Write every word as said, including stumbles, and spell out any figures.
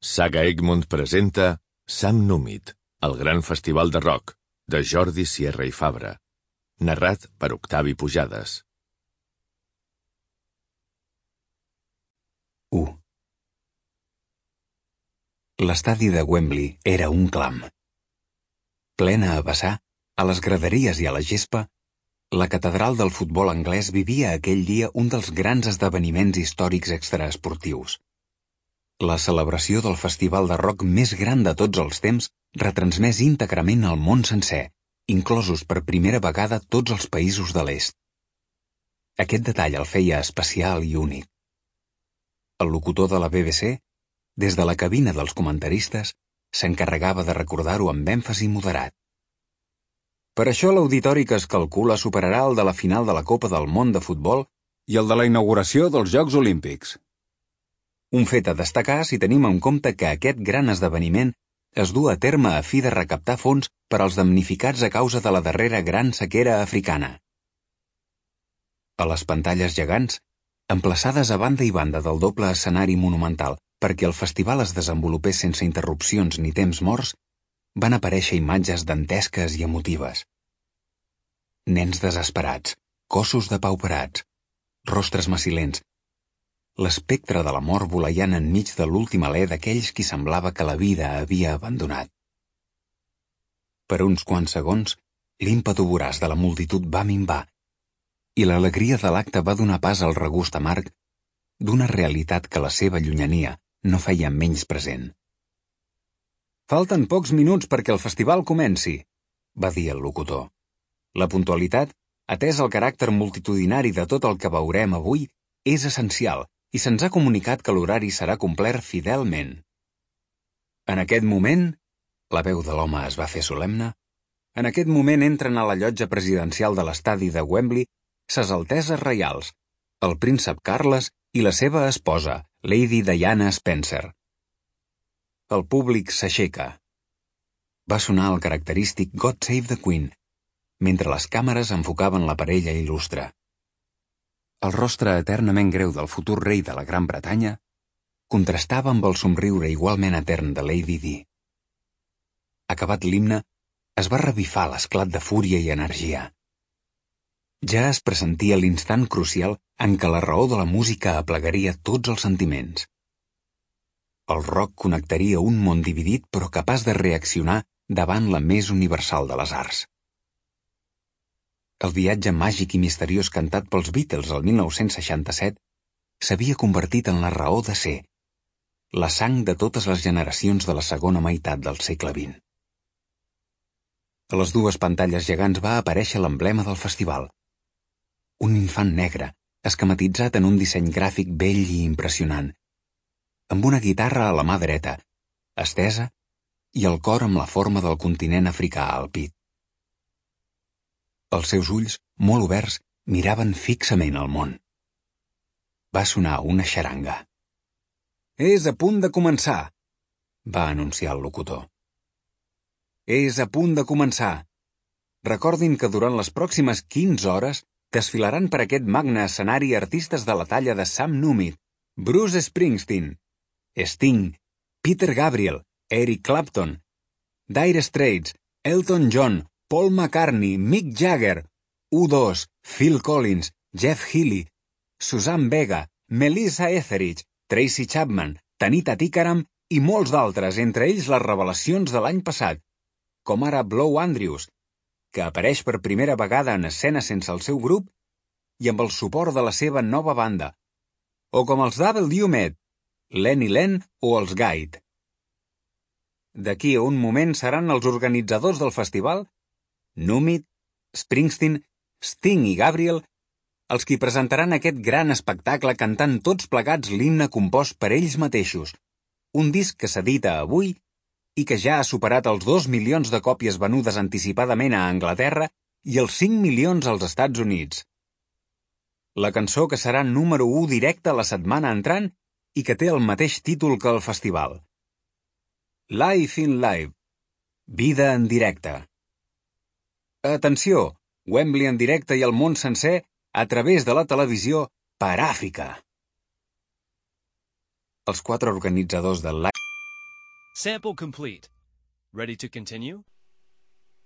Saga Egmont presenta Sam Númit, el gran festival de rock, de Jordi Sierra i Fabra. Narrat per Octavi Pujades. u. L'estadi de Wembley era un clam. Plena a vessar, a les graderies i a la gespa, la catedral del futbol anglès vivia aquell dia un dels grans esdeveniments històrics extraesportius. La celebració del festival de rock més gran de tots els temps retransmès íntegrament al món sencer, inclosos per primera vegada tots els països de l'est. Aquest detall el feia especial i únic. El locutor de la B B C, des de la cabina dels comentaristes, s'encarregava de recordar-ho amb èmfasi moderat. Per això l'auditori que es calcula superarà el de la final de la Copa del Món de futbol i el de la inauguració dels Jocs Olímpics. Un fet a destacar si tenim en compte que aquest gran esdeveniment es du a terme a fi de recaptar fons per als damnificats a causa de la darrera gran sequera africana. A les pantalles gegants, emplaçades a banda i banda del doble escenari monumental perquè el festival es desenvolupés sense interrupcions ni temps morts, van aparèixer imatges dantesques i emotives. Nens desesperats, cossos depauperats, rostres macilents, l'espectre de la mort voleiant enmig de l'últim alè d'aquells qui semblava que la vida havia abandonat. Per uns quants segons, l'ímpetu voraç de la multitud va minvar i l'alegria de l'acte va donar pas al regust amarg d'una realitat que la seva llunyania no feia menys present. Falten pocs minuts perquè el festival comenci, va dir el locutor. La puntualitat, atès el caràcter multitudinari de tot el que veurem avui, és essencial i se'ns ha comunicat que l'horari serà complert fidelment. En aquest moment, la veu de l'home es va fer solemne, en aquest moment entren a la llotja presidencial de l'estadi de Wembley ses alteses reials, el príncep Carles i la seva esposa, Lady Diana Spencer. El públic s'aixeca. Va sonar el característic God Save the Queen, mentre les càmeres enfocaven la parella il·lustre. El rostre eternament greu del futur rei de la Gran Bretanya contrastava amb el somriure igualment etern de Lady Di. Acabat l'himne, es va revifar l'esclat de fúria i energia. Ja es pressentia l'instant crucial en què la raó de la música aplegaria tots els sentiments. El rock connectaria un món dividit però capaç de reaccionar davant la més universal de les arts. El viatge màgic i misteriós cantat pels Beatles el mil nou-cents seixanta-set s'havia convertit en la raó de ser, la sang de totes les generacions de la segona meitat del segle vint. A les dues pantalles gegants va aparèixer l'emblema del festival. Un infant negre, esquematitzat en un disseny gràfic bell i impressionant, amb una guitarra a la mà dreta, estesa, i el cor amb la forma del continent africà al pit. Els seus ulls, molt oberts, miraven fixament al món. Va sonar una xaranga. És a punt de començar, va anunciar el locutor. És a punt de començar. Recordin que durant les pròximes quinze hores desfilaran per aquest magne escenari artistes de la talla de Sam Númit, Bruce Springsteen, Sting, Peter Gabriel, Eric Clapton, Dire Straits, Elton John, Paul McCartney, Mick Jagger, U dos, Phil Collins, Jeff Healey, Suzanne Vega, Melissa Etheridge, Tracy Chapman, Tanita Tikaram i molts d'altres, entre ells les revelacions de l'any passat, com ara Blow Andrews, que apareix per primera vegada en escena sense el seu grup i amb el suport de la seva nova banda, o com els W Med, Lenny Len o els Guide. D'aquí a un moment seran els organitzadors del festival, Númit, Springsteen, Sting i Gabriel, els qui presentaran aquest gran espectacle cantant tots plegats l'himne compost per ells mateixos, un disc que s'edita avui i que ja ha superat els dos milions de còpies venudes anticipadament a Anglaterra i els cinc milions als Estats Units. La cançó que serà número u directe la setmana entrant i que té el mateix títol que el festival. Life in Live. Vida en directe. Atenció! Wembley en directe i el món sencer a través de la televisió per Àfrica. Els quatre organitzadors del Live Sample complete. Ready to continue?